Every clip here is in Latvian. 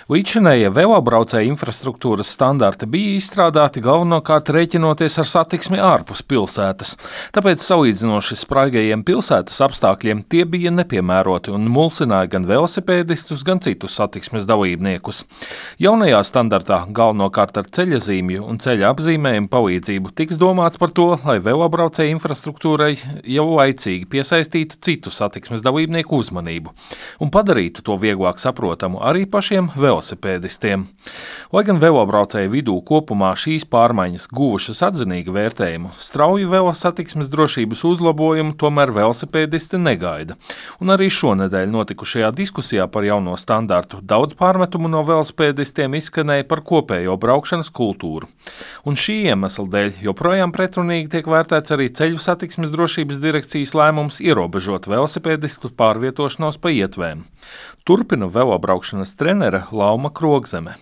Līdzinējie velobraucēju infrastruktūras standarti bija izstrādāti galvenokārt rēķinoties ar satiksmi ārpus pilsētas, tāpēc salīdzinoši spraigajiem pilsētas apstākļiem tie bija nepiemēroti un mulsināja gan velosipēdistus, gan citus satiksmes dalībniekus. Jaunajā standartā galvenokārt ar ceļazīmju un ceļa apzīmējumu palīdzību tiks domāts par to, lai velobraucēju infrastruktūrai jau laicīgi piesaistītu citu satiksmes dalībnieku uzmanību un padarītu to vieglāk saprotamu arī pašiem velosipēdistiem. Lai gan velobraucēju vidū kopumā šīs pārmaiņas guvušas atzinīgu vērtējumu, strauju velosatiksmes drošības uzlabojumu tomēr velosipēdisti negaida. Un arī šonedēļ notikušajā diskusijā par jauno standartu daudz pārmetumu no velosipēdistiem izskanēja par kopējo braukšanas kultūru. Un šī iemesla dēļ joprojām pretrunīgi tiek vērtēts arī Ceļu satiksmes drošības direkcijas lēmums ierobežot velosipēdistu pārvietošanos pa ietvēm. Turpina velobraukšanas trenere Lauma Krogzeme.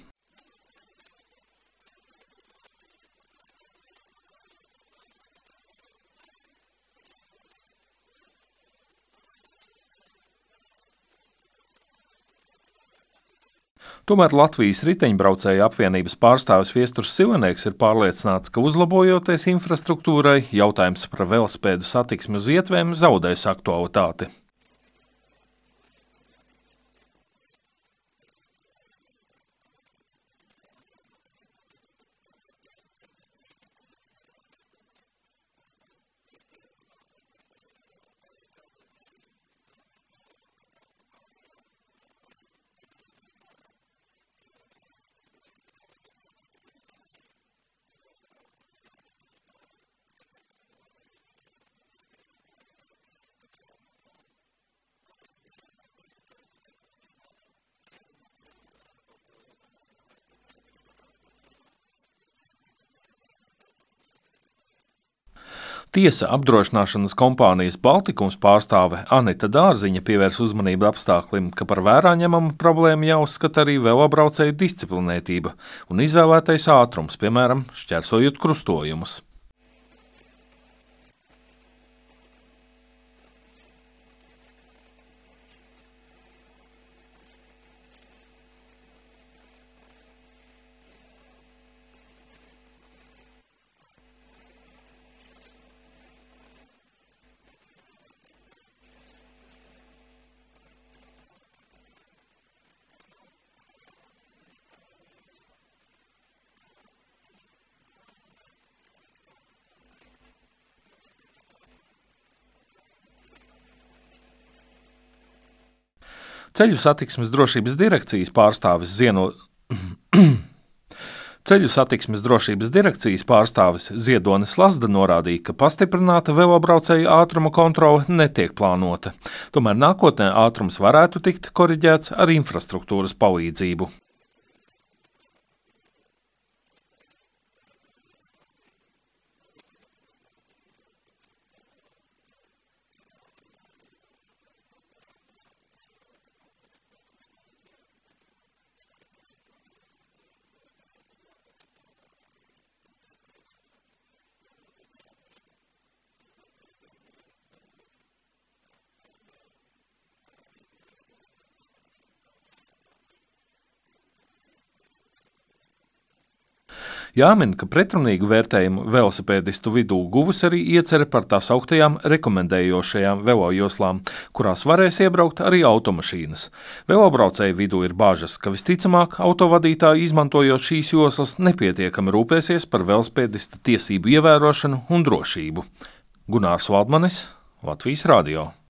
Tomēr Latvijas riteņbraucēju apvienības pārstāvis Viesturs Silenieks ir pārliecināts, ka uzlabojoties infrastruktūrai, jautājums par velosipēdu satiksmi uz ietvēm zaudēs aktualitāti. Tiesa apdrošināšanas kompānijas Baltikums pārstāve Anita Dārziņa pievērs uzmanību apstāklim, ka par vērā ņemamu problēmu jāuzskata arī velobraucēju disciplinētība un izvēlētais ātrums, piemēram, šķērsojot krustojumus. Ceļu satiksmes drošības direkcijas pārstāvis Ziedonis Lazda norādīja, ka pastiprināta velobraucēju ātruma kontrole netiek plānota. Tomēr nākotnē ātrums varētu tikt koriģēts ar infrastruktūras palīdzību. Jāmin, ka pretrunīgu vērtējumu velosipēdistu vidū guvusi arī iecere par tā sauktajām rekomendējošajām velojoslām, kurās varēs iebraukt arī automašīnas. Velobraucēju vidū ir bažas, ka visticamāk autovadītāji izmantojot šīs joslas nepietiekami rūpēsies par velosipēdistu tiesību ievērošanu un drošību. Gunārs Valdmanis, Latvijas radio.